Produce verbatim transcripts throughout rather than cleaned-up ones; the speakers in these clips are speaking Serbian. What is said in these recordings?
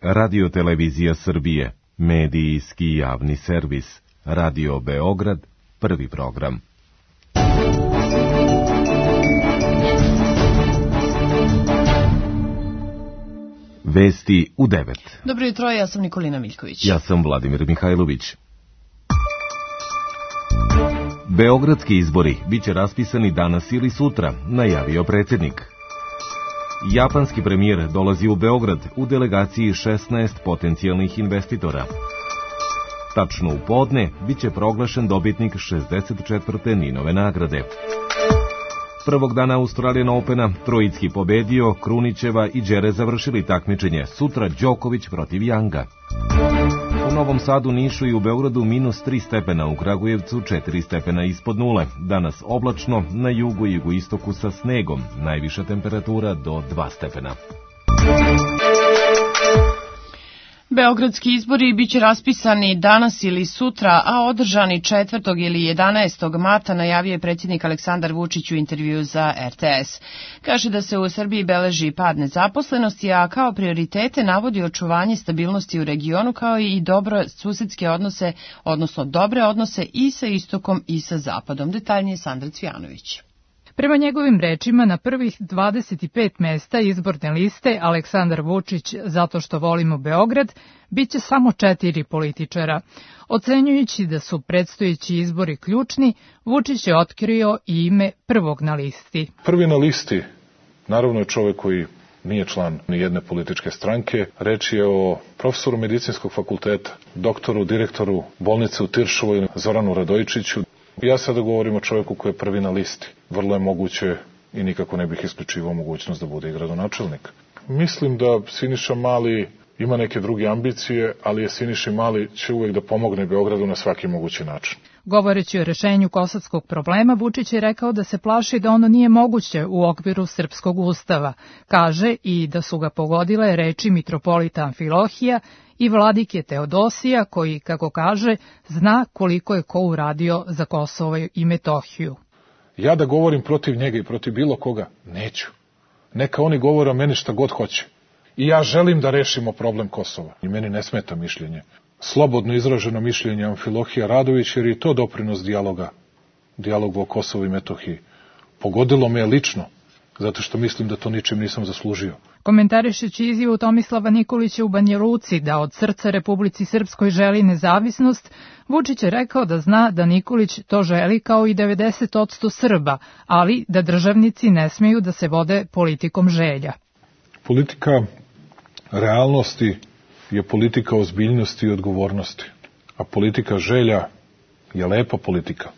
Radio-televizija Srbije, medijski javni servis, Radio Beograd, prvi program. Vesti u devet. Dobro jutro, ja sam Nikolina Miljković. Ja sam Vladimir Mihajlović. Beogradski izbori biće raspisani danas ili sutra, najavio predsjednik. Japanski premijer dolazi u Beograd u delegaciji šesnaest potencijalnih investitora. Tačno u podne biće proglašen dobitnik šezdeset četvrte Ninove nagrade. Prvog dana Australian Opena Trojicki pobedio, Krunićeva i Đere završili takmičenje, sutra Đoković protiv Janga. U Novom Sadu, Nišu i u Beogradu minus tri stepena, u Kragujevcu četiri stepena ispod nule. Danas oblačno, na jugu i jugoistoku sa snegom, najviša temperatura do dva stepena. Beogradski izbori biće raspisani danas ili sutra, a održani četvrtog ili jedanaestog marta, najavio je predsjednik Aleksandar Vučić u intervju za R T S. Kaže da se u Srbiji beleži pad nezaposlenosti, a kao prioritete navodi očuvanje stabilnosti u regionu, kao i dobro susedske odnose, odnosno dobre odnose i sa istokom i sa zapadom. Detaljnije Sandra Cvijanović. Prema njegovim rečima, na prvih dvadeset pet mesta izborne liste Aleksandar Vučić, zato što volimo Beograd, biće samo četiri političara. Ocenjujući da su predstojeći izbori ključni, Vučić je otkrio i ime prvog na listi. Prvi na listi, naravno, je čovjek koji nije član ni jedne političke stranke. Reč je o profesoru medicinskog fakulteta, doktoru, direktoru bolnice u Tiršovoj, Zoranu Radojičiću. Ja sada govorim o čovjeku koji je prvi na listi. Vrlo je moguće i nikako ne bih isključivao mogućnost da bude i gradonačelnik. Mislim da Siniša Mali ima neke druge ambicije, ali je Siniša Mali će uvijek da pomogne Beogradu na svaki mogući način. Govoreći o rešenju kosovskog problema, Vučić je rekao da se plaši da ono nije moguće u okviru srpskog ustava. Kaže i da su ga pogodile reči mitropolita Amfilohija i vladike Teodosija, koji, kako kaže, zna koliko je ko uradio za Kosovo i Metohiju. Ja da govorim protiv njega i protiv bilo koga, neću. Neka oni govore o meni šta god hoće. I ja želim da rešimo problem Kosova. I meni ne smeta mišljenje. Slobodno izraženo mišljenje Amfilohija Radović, jer je to doprinos dijaloga, dijalogu o Kosovu i Metohiji. Pogodilo me je lično, zato što mislim da to ničim nisam zaslužio. Komentarišući izjavu Tomislava Nikolića u Banja Luci da od srca Republici Srpskoj želi nezavisnost, Vučić je rekao da zna da Nikolić to želi kao i devedeset posto Srba, ali da državnici ne smeju da se vode politikom želja. Politika realnosti je politika ozbiljnosti i odgovornosti, a politika želja je lepa politika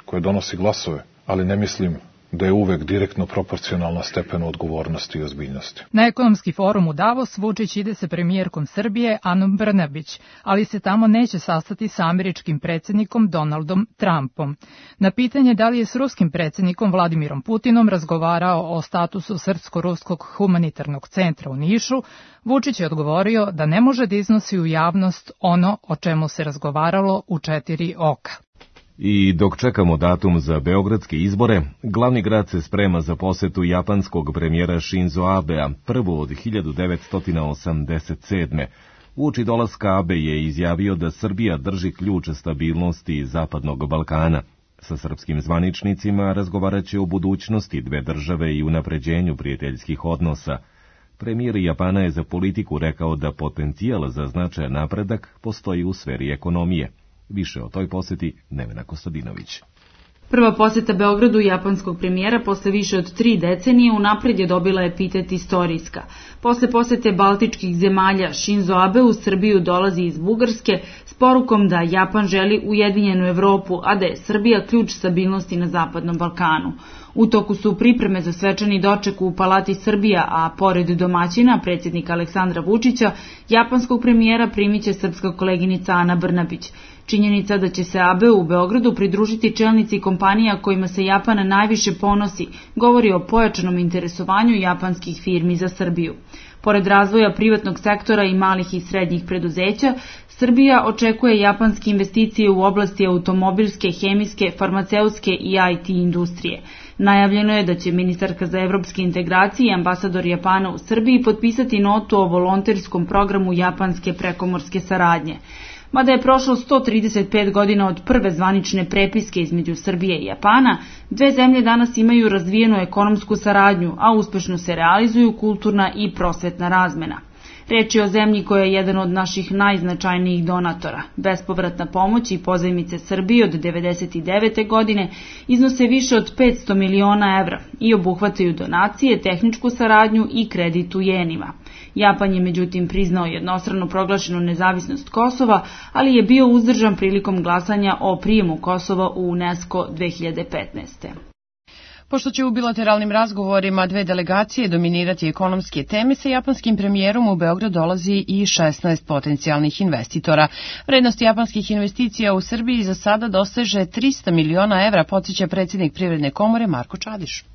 koja donosi glasove, ali ne mislim da je uvek direktno proporcionalna stepenu odgovornosti i ozbiljnosti. Na ekonomski forum u Davos Vučić ide sa premijerkom Srbije Anom Brnabić, ali se tamo neće sastati sa američkim predsjednikom Donaldom Trumpom. Na pitanje da li je s ruskim predsjednikom Vladimirom Putinom razgovarao o statusu Srpsko-ruskog humanitarnog centra u Nišu, Vučić je odgovorio da ne može da iznosi u javnost ono o čemu se razgovaralo u četiri oka. I dok čekamo datum za beogradske izbore, glavni grad se sprema za posetu japanskog premijera Shinzo Abea, prvu od hiljadu devetsto osamdeset sedme. Uoči dolaska Abe je izjavio da Srbija drži ključ stabilnosti Zapadnog Balkana. Sa srpskim zvaničnicima razgovarat će o budućnosti dve države i unapređenju prijateljskih odnosa. Premijer Japana je za Politiku rekao da potencijal za značajan napredak postoji u sferi ekonomije. Više o toj poseti Nevena Kostadinović. Prva poseta Beogradu japanskog premijera posle više od tri decenije unapred je dobila epitet istorijska. Posle posete baltičkih zemalja Shinzo Abe u Srbiju dolazi iz Bugarske s porukom da Japan želi ujedinjenu Evropu, a da je Srbija ključ stabilnosti na Zapadnom Balkanu. U toku su pripreme za svečani doček u Palati Srbija, a pored domaćina, predsjednika Aleksandra Vučića, japanskog premijera primiće srpska koleginica Ana Brnabić. Činjenica da će se Abe u Beogradu pridružiti čelnici kompanija kojima se Japan najviše ponosi, govori o pojačanom interesovanju japanskih firmi za Srbiju. Pored razvoja privatnog sektora i malih i srednjih preduzeća, Srbija očekuje japanske investicije u oblasti automobilske, hemijske, farmaceutske i I T industrije. Najavljeno je da će ministarka za evropske integracije i ambasador Japana u Srbiji potpisati notu o volonterskom programu japanske prekomorske saradnje. Mada je prošlo sto trideset pet godina od prve zvanične prepiske između Srbije i Japana, dve zemlje danas imaju razvijenu ekonomsku saradnju, a uspešno se realizuju kulturna i prosvetna razmena. Reč je o zemlji koja je jedan od naših najznačajnijih donatora. Bespovratna pomoć i pozajmice Srbije od devedeset devete godine iznose više od petsto miliona evra i obuhvataju donacije, tehničku saradnju i kredit u jenima. Japan je međutim priznao jednostrano proglašenu nezavisnost Kosova, ali je bio uzdržan prilikom glasanja o prijemu Kosova u UNESCO dve hiljade petnaeste. Pošto će u bilateralnim razgovorima dve delegacije dominirati ekonomske teme, sa japanskim premijerom u Beograd dolazi i šesnaest potencijalnih investitora. Vrednost japanskih investicija u Srbiji za sada doseže trista miliona evra, podsjeća predsjednik Privredne komore Marko Čadiš.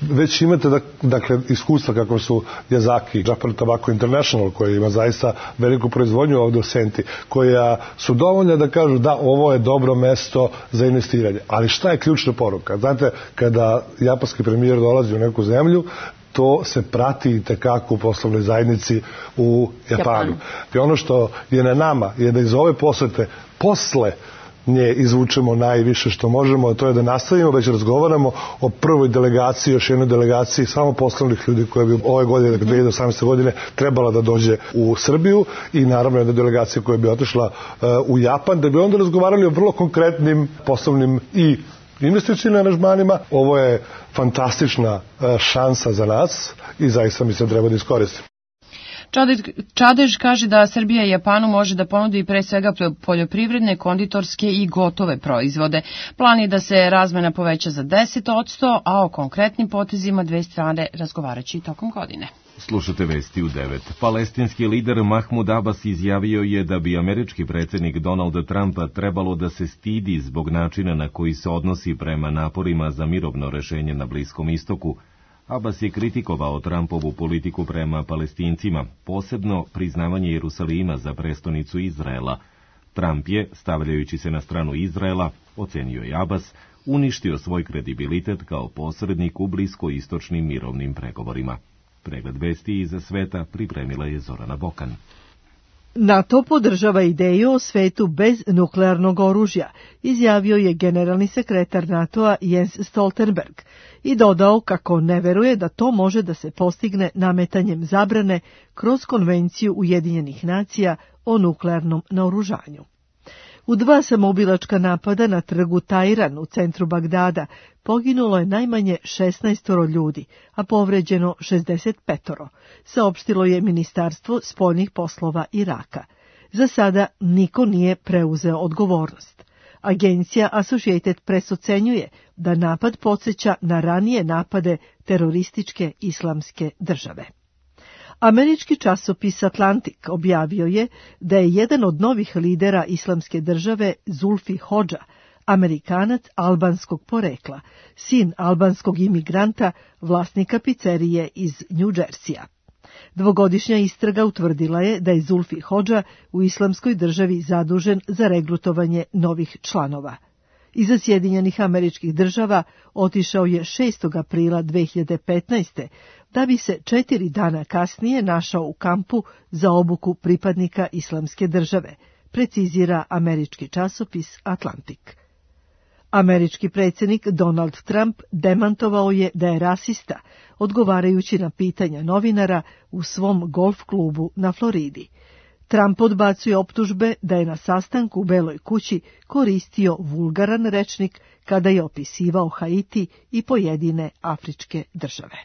Već imate dakle iskustva kako su Yazaki, Japan Tobacco International, koja ima zaista veliku proizvodnju ovdje u Senti, koja su dovoljne da kažu da ovo je dobro mesto za investiranje. Ali šta je ključna poruka? Znate, kada japanski premijer dolazi u neku zemlju, to se prati i tekako u poslovnoj zajednici u Japanu. I ono što je na nama je da iz ove posete posle nje izvučemo najviše što možemo, a to je da nastavimo, već razgovaramo o prvoj delegaciji, još jednoj delegaciji samo poslovnih ljudi koja bi ove godine, dve hiljade osamnaeste. godine, trebala da dođe u Srbiju i naravno jedna delegacija koja bi otišla uh, u Japan, da bi onda razgovarali o vrlo konkretnim poslovnim i investicijnim aranžmanima. Ovo je fantastična uh, šansa za nas i zaista mi se treba da iskoristimo. Čadež kaže da Srbija Japanu može da ponudi pre svega poljoprivredne, konditorske i gotove proizvode. Plan je da se razmena poveća za deset posto, a o konkretnim potezima dve strane razgovaraće tokom godine. Slušate vesti u devet. Palestinski lider Mahmud Abbas izjavio je da bi američki predsjednik Donald Trump trebalo da se stidi zbog načina na koji se odnosi prema naporima za mirovno rešenje na Bliskom istoku. Abbas je kritikovao Trumpovu politiku prema Palestincima, posebno priznavanje Jerusalima za prestonicu Izraela. Trump je, stavljajući se na stranu Izraela, ocenio je Abbas, uništio svoj kredibilitet kao posrednik u bliskoistočnim mirovnim pregovorima. Pregled vesti iza sveta pripremila je Zorana Bokan. NATO podržava ideju o svetu bez nuklearnog oružja, izjavio je generalni sekretar NATO-a Jens Stoltenberg i dodao kako ne veruje da to može da se postigne nametanjem zabrane kroz Konvenciju Ujedinjenih nacija o nuklearnom naoružanju. U dva samoubilačka napada na trgu Tajran u centru Bagdada poginulo je najmanje šesnaest ljudi, a povređeno šezdeset pet, saopštilo je Ministarstvo spoljnih poslova Iraka. Za sada niko nije preuzeo odgovornost. Agencija Associated Press ocenjuje da napad podsjeća na ranije napade terorističke islamske države. Američki časopis Atlantic objavio je da je jedan od novih lidera islamske države, Zulfi Hodža, Amerikanac albanskog porekla, sin albanskog imigranta, vlasnika pizzerije iz New Jersey-a. Dvogodišnja istraga utvrdila je da je Zulfi Hodža u islamskoj državi zadužen za regrutovanje novih članova. Iza Sjedinjenih Američkih Država otišao je šestog aprila dve hiljade petnaeste. da bi se četiri dana kasnije našao u kampu za obuku pripadnika islamske države, precizira američki časopis Atlantic. Američki predsjednik Donald Trump demantovao je da je rasista, odgovarajući na pitanja novinara u svom golf klubu na Floridi. Trump odbacuje optužbe da je na sastanku u Beloj kući koristio vulgaran rečnik kada je opisivao Haiti i pojedine afričke države.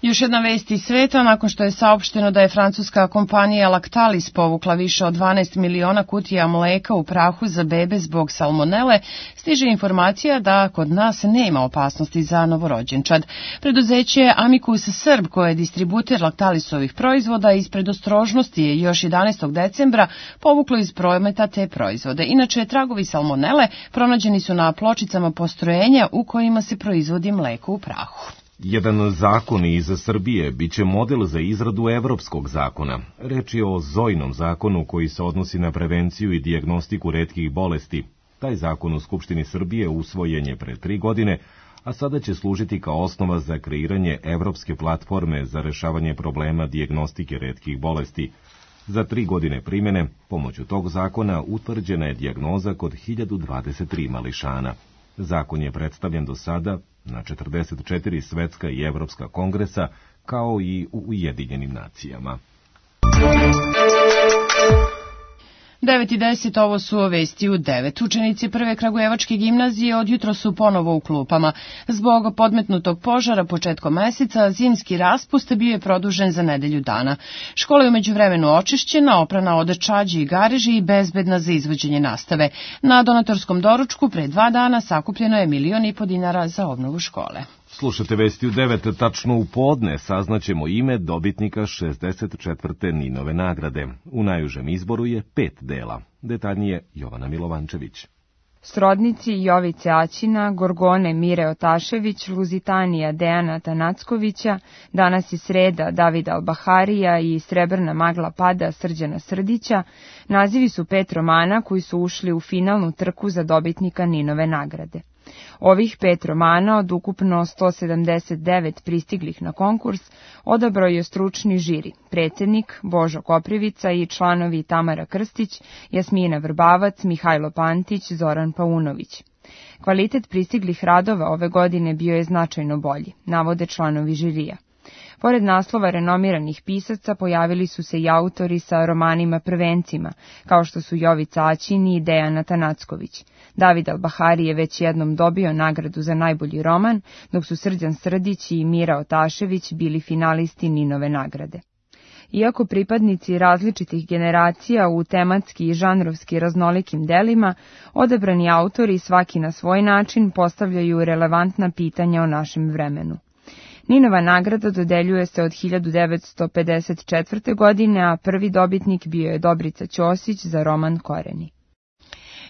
Još jedna vest iz sveta, nakon što je saopšteno da je francuska kompanija Lactalis povukla više od dvanaest miliona kutija mleka u prahu za bebe zbog salmonele, stiže informacija da kod nas nema opasnosti za novorođenčad. Preduzeće Amicus Srb, koje je distributer Lactalisovih proizvoda, iz predostrožnosti je još jedanaestog decembra povuklo iz prometa te proizvode. Inače, tragovi salmonele pronađeni su na pločicama postrojenja u kojima se proizvodi mleko u prahu. Jedan zakon iz Srbije biće model za izradu evropskog zakona. Reč je o Zojinom zakonu koji se odnosi na prevenciju i dijagnostiku retkih bolesti. Taj zakon u Skupštini Srbije usvojen je pre tri godine, a sada će služiti kao osnova za kreiranje evropske platforme za rešavanje problema dijagnostike retkih bolesti. Za tri godine primjene, pomoću tog zakona utvrđena je dijagnoza kod hiljadu dvadeset tri mališana. Zakon je predstavljen do sada na četrdeset četiri svetska i evropska kongresa, kao i u Ujedinjenim nacijama. devet i deset, ovo su vesti u devet. Učenici prve kragujevačke gimnazije odjutro su ponovo u klupama. Zbog podmetnutog požara početkom meseca, zimski raspust bio je produžen za nedelju dana. Škola je u međuvremenu očišćena, oprana od čađi i gareži i bezbedna za izvođenje nastave. Na donatorskom doručku pre dva dana sakupljeno je milion i po dinara za obnovu škole. Slušate vesti u devet, tačno u podne saznaćemo ime dobitnika šezdeset četvrte Ninove nagrade. U najužem izboru je pet dela. Detaljnije Jovana Milovančević. Srodnici Jovice Aćina, Gorgone Mire Otašević, Luzitanija Dejana Tanackovića, Danas je sreda Davida Albaharija i Srebrna magla pada Srđana Srdića, nazivi su pet romana koji su ušli u finalnu trku za dobitnika Ninove nagrade. Ovih pet romana od ukupno sto sedamdeset devet pristiglih na konkurs odabrao je stručni žiri, predsjednik Božo Koprivica i članovi Tamara Krstić, Jasmina Vrbavac, Mihajlo Pantić, Zoran Paunović. Kvalitet pristiglih radova ove godine bio je značajno bolji, navode članovi žirija. Pored naslova renomiranih pisaca pojavili su se i autori sa romanima prvencima, kao što su Jovica Aćin i Dejana Tanacković. David Albahari je već jednom dobio nagradu za najbolji roman, dok su Srđan Srdić i Mira Otašević bili finalisti Ninove nagrade. Iako pripadnici različitih generacija u tematski i žanrovski raznolikim delima, odabrani autori svaki na svoj način postavljaju relevantna pitanja o našem vremenu. Ninova nagrada dodeljuje se od hiljadu devetsto pedeset četvrte. godine, a prvi dobitnik bio je Dobrica Ćosić za roman Koreni.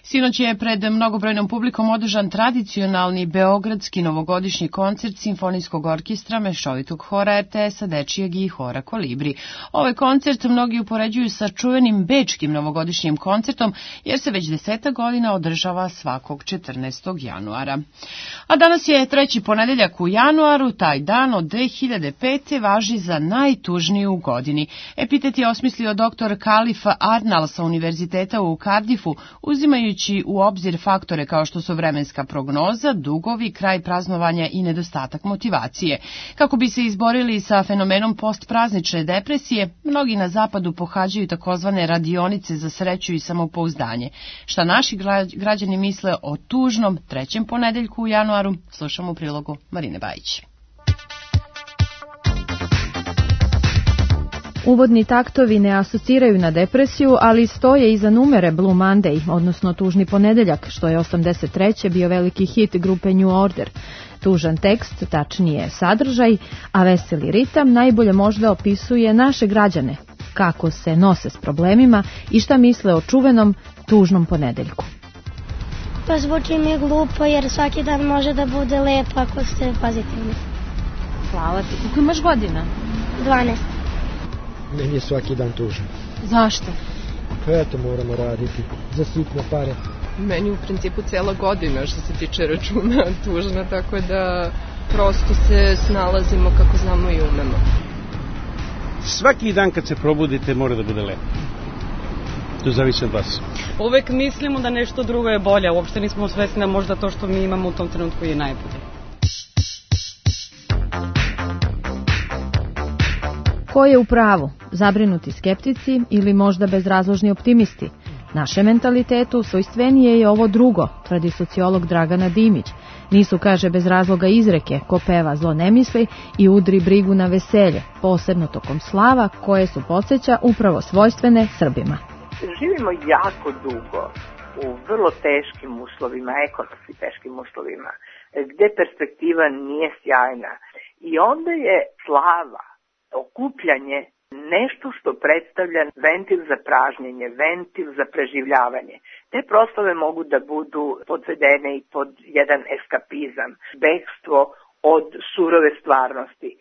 Sinoć je pred mnogobrojnom publikom održan tradicionalni beogradski novogodišnji koncert Simfonijskog orkestra, mešovitog hora er te es-a, dečijeg i hora Kolibri. Ovaj koncert mnogi upoređuju sa čuvenim bečkim novogodišnjim koncertom, jer se već deseta godina održava svakog četrnaestog januara. A danas je treći ponedeljak u januaru, taj dan od dve hiljade pete. važi za najtužniju u godini. Epitet je osmislio doktor Kalif Arnal sa Univerziteta u Cardiffu, uzimajući u obzir faktore kao što su vremenska prognoza, dugovi, kraj praznovanja i nedostatak motivacije. Kako bi se izborili sa fenomenom postpraznične depresije, mnogi na zapadu pohađaju takozvane radionice za sreću i samopouzdanje. Šta naši građani misle o tužnom trećem ponedeljku u januaru, slušamo u prilogu Marine Bajić. Uvodni taktovi ne asociraju na depresiju, ali stoje iza numere Blue Monday, odnosno Tužni ponedeljak, što je osamdeset treće bio veliki hit grupe New Order. Tužan tekst, tačnije sadržaj, a veseli ritam najbolje možda opisuje naše građane, kako se nose s problemima i šta misle o čuvenom Tužnom ponedeljku. Pa zvuči mi glupo jer svaki dan može da bude lep ako ste pozitivni. Hvala ti. Koliko imaš godina? dvanaest. Meni je svaki dan tužan. Zašto? Pa eto, moramo raditi za sitne pare. Meni u principu cijela godina što se tiče računa tužna, tako da prosto se snalazimo kako znamo i umemo. Svaki dan kad se probudite mora da bude lepo. To zavisi od vas. Uvek mislimo da nešto drugo je bolje, uopšte nismo svesni da možda to što mi imamo u tom trenutku je najbolje. Ko je u pravu? Zabrinuti skeptici ili možda bezrazložni optimisti? Naše mentalitetu svojstvenije je ovo drugo, tvrdi sociolog Dragana Dimić. Nisu, kaže, bez razloga izreke, ko peva zlo ne misli i udri brigu na veselje, posebno tokom slava koje su podsjeća upravo svojstvene Srbima. Živimo jako dugo u vrlo teškim uslovima, ekonomski teškim uslovima, gde perspektiva nije sjajna. I onda je slava, okupljanje, nešto što predstavlja ventil za pražnjenje, ventil za preživljavanje. Te proslave mogu da budu podvedene i pod jedan eskapizam, bekstvo od surove stvarnosti,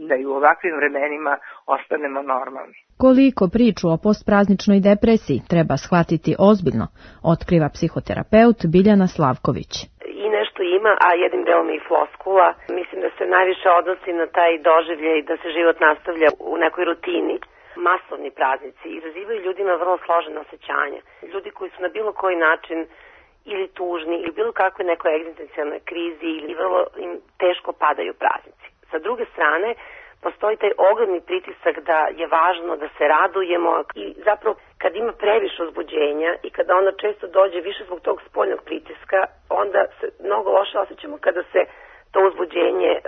da i u ovakvim vremenima ostanemo normalni. Koliko priču o postprazničnoj depresiji treba shvatiti ozbiljno, otkriva psihoterapeut Biljana Slavković. I nešto ima, a jednim delom i floskula. Mislim da se najviše odnosi na taj doživljaj da se život nastavlja u nekoj rutini. Masovni praznici izazivaju ljudima vrlo složene osjećanja. Ljudi koji su na bilo koji način ili tužni ili bilo kakve nekoj egzistencijalnoj krizi ili vrlo im teško padaju praznici. Sa druge strane, postoji taj ogromni pritisak da je važno da se radujemo i zapravo kad ima previše uzbuđenja i kada onda često dođe više zbog tog spoljnog pritiska, onda se mnogo loše osjećamo kada se to uzbuđenje e,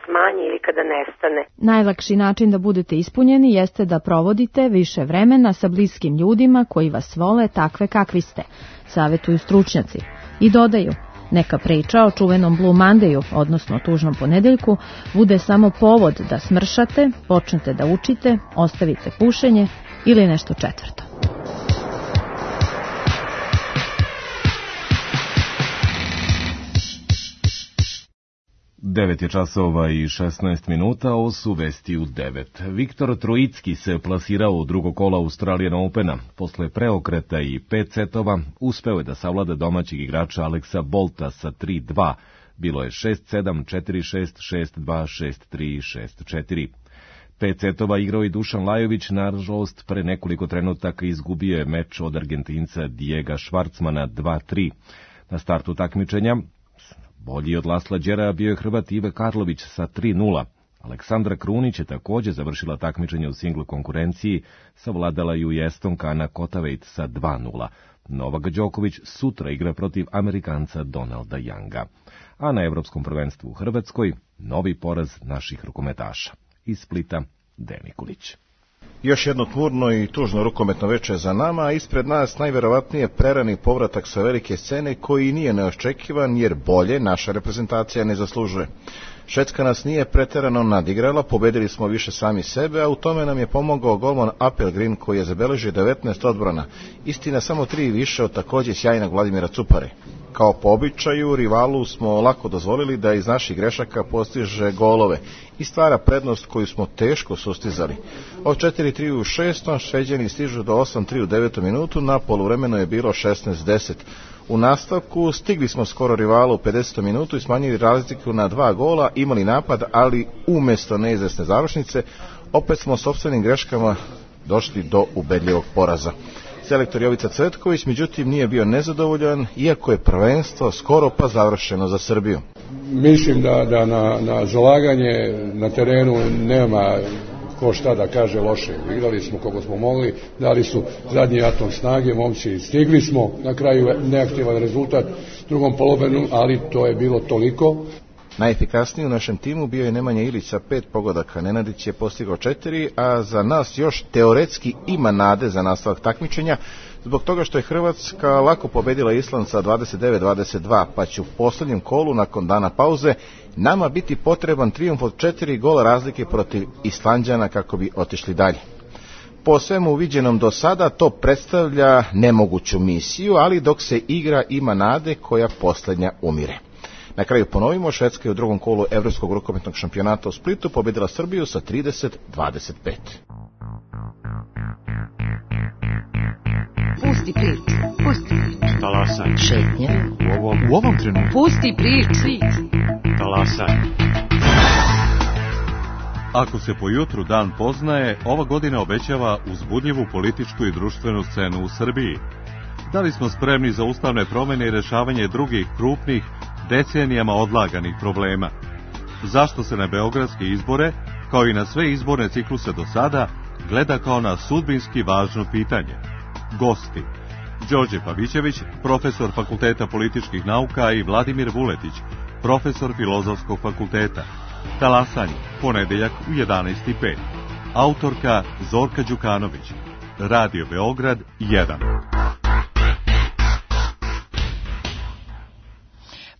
smanji ili kada nestane. Najlakši način da budete ispunjeni jeste da provodite više vremena sa bliskim ljudima koji vas vole takve kakvi ste, savetuju stručnjaci. I dodaju, neka priča o čuvenom Blue Mondayu, odnosno tužnom ponedeljku, bude samo povod da smršate, počnete da učite, ostavite pušenje ili nešto četvrto. devet je časova i šesnaest minuta, ovo su vesti u devet. Viktor Trojicki se plasirao u drugo kola Australian Opena. Posle preokreta i pet setova uspeo je da savlada domaćeg igrača Aleksa Bolta sa tri dva. Bilo je šest sedam, četiri šest, šest dva, šest tri, šest četiri. Pet setova igrao i Dušan Lajović, nažalost pre nekoliko trenutaka izgubio je meč od Argentinca Diega Švarcmana dva tri. Na startu takmičenja bolji od Lasla Đera bio je Hrvat Ive Karlović sa tri nula. Aleksandra Krunić je također završila takmičenje u singl konkurenciji, savladala ju i Estonka Ana Kotaveit sa dva nula. Novak Đoković sutra igra protiv Amerikanca Donalda Younga. A na Evropskom prvenstvu u Hrvatskoj novi poraz naših rukometaša. Iz Splita Deni Kulić. Još jedno tmurno i tužno rukometno veče za nama, a ispred nas najverovatnije prerani povratak sa velike scene koji nije neočekivan jer bolje naša reprezentacija ne zaslužuje. Švedska nas nije preterano nadigrala, pobedili smo više sami sebe, a u tome nam je pomogao golman Appelgren koji je zabeležio devetnaest odbrana, istina samo tri više od također sjajnog Vladimira Cupare. Kao po običaju, rivalu smo lako dozvolili da iz naših grešaka postiže golove i stvara prednost koju smo teško sustizali. Od četiri tri u šestom Šveđani stižu do osam tri u devetom minutu, na poluvremenu je bilo šesnaest deset. U nastavku stigli smo skoro rivalu u pedesetom minutu i smanjili razliku na dva gola, imali napad, ali umjesto neizvesne završnice, opet smo sopstvenim greškama došli do ubedljivog poraza. Selektor Jovica Cvetković, međutim, nije bio nezadovoljan, iako je prvenstvo skoro pa završeno za Srbiju. Mislim da, da na, na zalaganje na terenu nema ko šta da kaže loše. Igrali smo koliko smo mogli, dali su zadnji atom snage, momci stigli smo, na kraju neaktivan rezultat drugom polovinu, ali to je bilo toliko. Najefikasniji u našem timu bio je Nemanja Ilić sa pet pogodaka, Nenadić je postigao četiri, a za nas još teoretski ima nade za nastavak takmičenja, zbog toga što je Hrvatska lako pobedila Island sa dvadeset devet dvadeset dva, pa će u posljednjem kolu nakon dana pauze nama biti potreban trijumf od četiri gola razlike protiv Islanđana kako bi otišli dalje. Po svemu viđenom do sada to predstavlja nemoguću misiju, ali dok se igra ima nade koja posljednja umire. Na kraju ponovimo, Švedska je u drugom kolu Evropskog rukometnog šampionata u Splitu pobedila Srbiju sa trideset dvadeset pet. Pusti priču, pusti priču. Talasaj. Šetnja. U ovom, u ovom trenutku. Pusti priču. Talasaj. Ako se po jutru dan poznaje, ova godina obećava uzbudljivu političku i društvenu scenu u Srbiji. Da li smo spremni za ustavne promjene i rješavanje drugih krupnih, decenijama odlaganih problema? Zašto se na beogradske izbore, kao i na sve izborne cikluse do sada, gleda kao na sudbinski važno pitanje? Gosti: Đorđe Pavićević, profesor Fakulteta političkih nauka, i Vladimir Vuletić, profesor Filozofskog fakulteta. Talasanje, ponedeljak u jedanaest i pet. Autorka Zorka Đukanović. Radio Beograd jedan.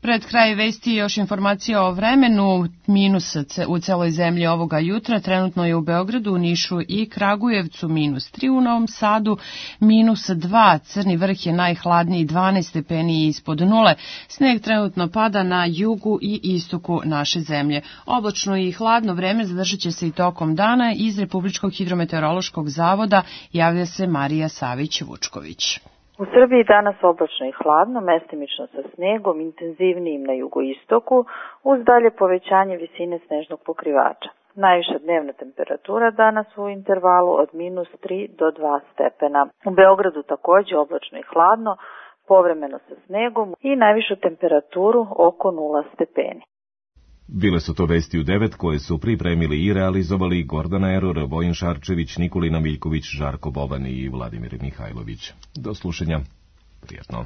Pred kraj vesti još informacija o vremenu. Minus u celoj zemlji ovoga jutra. Trenutno je u Beogradu, Nišu i Kragujevcu minus tri, u Novom Sadu minus dva. Crni vrh je najhladniji, dvanaest stepeni ispod nule. Sneg trenutno pada na jugu i istoku naše zemlje. Oblačno i hladno vreme zadržat će se i tokom dana. Iz Republičkog hidrometeorološkog zavoda javlja se Marija Savić-Vučković. U Srbiji danas oblačno i hladno, mestimično sa snegom, intenzivnijim na jugoistoku, uz dalje povećanje visine snežnog pokrivača. Najviša dnevna temperatura danas u intervalu od minus tri do dva stepena. U Beogradu takođe oblačno i hladno, povremeno sa snegom i najvišu temperaturu oko nula stepeni. Bile su to vesti u devet koje su pripremili i realizovali Gordana Eror, Vojin Šarčević, Nikolina Miljković, Žarko Boban i Vladimir Mihajlović. Do slušanja. Prijetno.